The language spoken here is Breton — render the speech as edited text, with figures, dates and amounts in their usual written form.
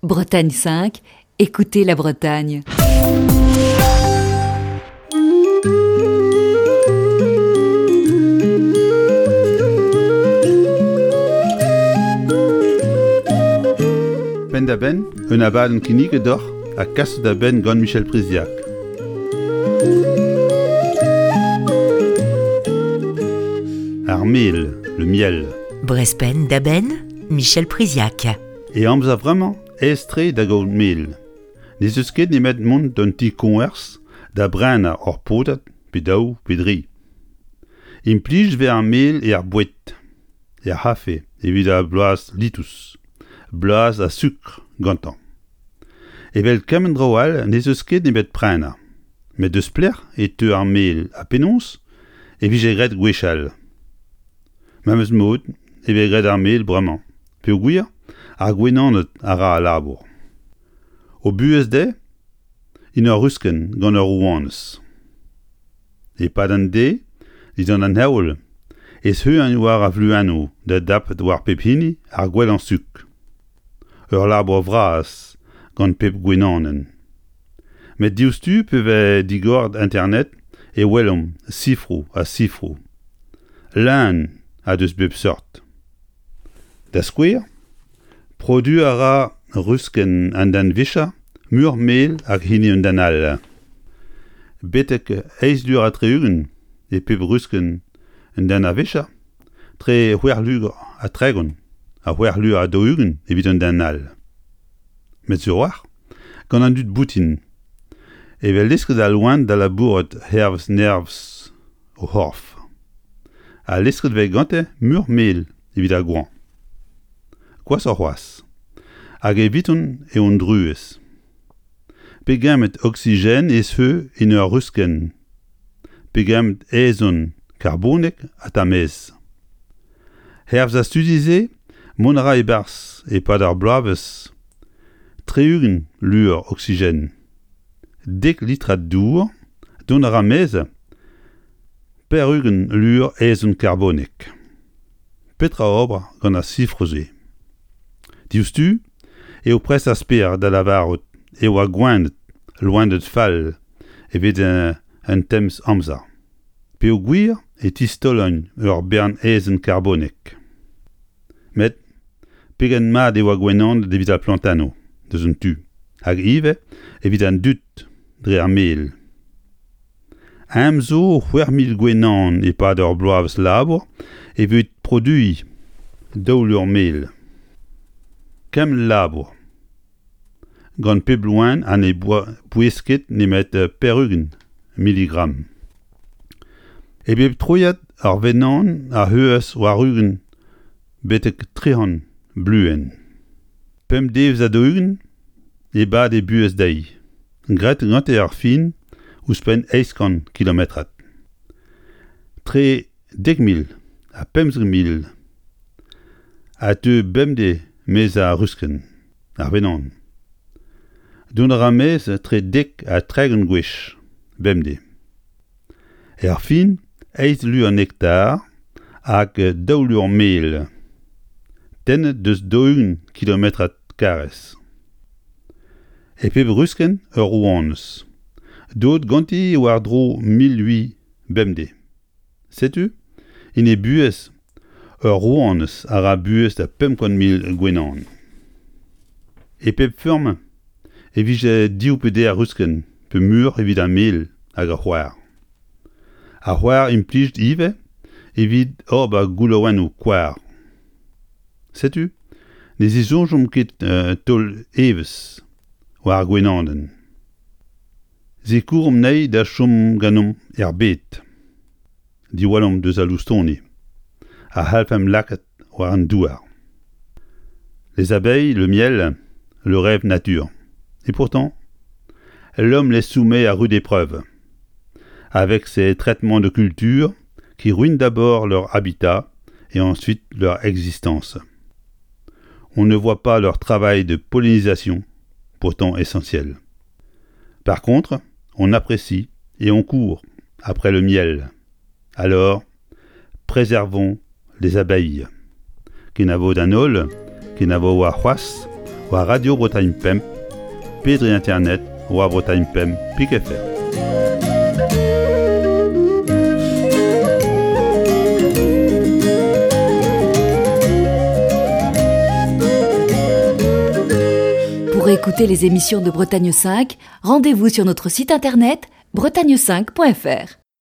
Bretagne 5, écoutez la Bretagne. Penn-da-benn, un abadenn kinniget deoc'h ha kaset da benn gant Michel Priziac. Ar mel, le miel. Brest penn-da-benn, Michel Priziac. E amzer vremañ, aes-tre da gaout mel. N'ez eus ket nemet mont d'un ti-koñvers da brenañ ur podad pe daou pe dri. Implij 'vez ar mel er boued, er c'hafe evit ar bloaz litous, blaz ha sukr gantañ. Evel kement traoù all n'ez eus ket nemet prenañ. Met deus pelec'h e teu ar mel ha penaos e vije graet gwechall? Memes mod e vez graet ar mel bremañ peogwir ar gwenaned a ra al labour. O buhez dezhe int ur ruskenn gant ur rouanez. E-pad an deiz, dindan an heol, e zeuint war ar vluennoù da dapet war pep hini ar gwellañ suk. Ur labour vras gant pep gwenanenn. Met diouzhtu pe vez digoret internet e welomp sifroù ha sifroù. Leun ha deus bep seurt. Da skouer, produiñ a ra ruskenn an den-vicher muioc'h mel hag hini un den all. Betek eizh lur ha tri-ugent e pep ruskenn un den a-vicher, tre c'hwec'h lur ha 30 ha c'hwec'h lur ha 40 evit un den all. Met sur 'walc'h, gant an dud boutin e vez lesket al loen da labourat hervez nerzh o c'horf. Ha lesket 'vez gante muioc'h mel evit ar goañv. Gwashoc'h c'hoazh. Hag eviton eo an druez. Pegement oksigen ez eus en ur ruskenn? Pegement aezhenn karbonek ha tamez? Hervez ar studi-se, mont a ra e-barzh e-pad ar bloavezh 60 lur oksigen. Dek litrad dour, dont a ra 'maez 80 lur aezhenn karbonek. Petra ober gant ar sifroù-se? Diouzhtu eo prest ar spered da lavarout e oa gwened loened fall evit un temz amzer peogwir e tistaolent ur bern aezhenn karbonek. Met pegen mat e oa gwenaned evit ar plantennoù deus un tu hag ivez evit an dud dre ar mel. Eñ zo 6000 gwenan e-pad ur bloavezh labour evit produiñ daou lur mel. Kement labour. Gant pep loen ha ne bouez ket nemet 80 miligramm. E bep troiad ar wenan a c'heuas war-ugent betek 300 bluenn. Pemp devezh ha 40 e bad he buhez dezhi. Graet gante ar fin ouzhpenn 800 kilometrad. Tre 10,000 ha 15,000 a teu bemdez 'maez ar ruskenn, ar wenan. Dont a ra 'maez tre 10 ha 30 gwech bemdez. Erfin, eizh lur nektar hag daou lur mel tennet deus 40 kilometrad karrez. E pep ruskenn ur rouanez, deuet ganti war-dro 1008 bemdez. Setu, en he buhez, ur rouanez a ra buhez da 500 000 gwenan. E pep feurm e vije div pe deir ruskenn pe muioc'h evit ar mel hag ar c'hoar. Ar c'hoar implijet ivez evit ober goulaouennoù koar. Setu ne zisoñjomp ket taol evezh war ar gwenanenn. Sikouromp anezhi da chom ganeomp er bed. Diwallomp deus al loustoni a c'hallfemp lakaat war an douar. Les abeilles, le miel, le rêve nature. Et pourtant, l'homme les soumet à rude épreuve. Avec ses traitements de culture qui ruinent d'abord leur habitat et ensuite leur existence. On ne voit pas leur travail de pollinisation, pourtant essentiel. Par contre, on apprécie et on court après le miel. Alors, préservons les abeilles. Kenavo d'an holl, kenavo warc'hoazh, war Radio Bretagne Pemp pe dre internet war Bretagne Pemp pik fr. Pour écouter les émissions de Bretagne 5, rendez-vous sur notre site internet bretagne5.fr.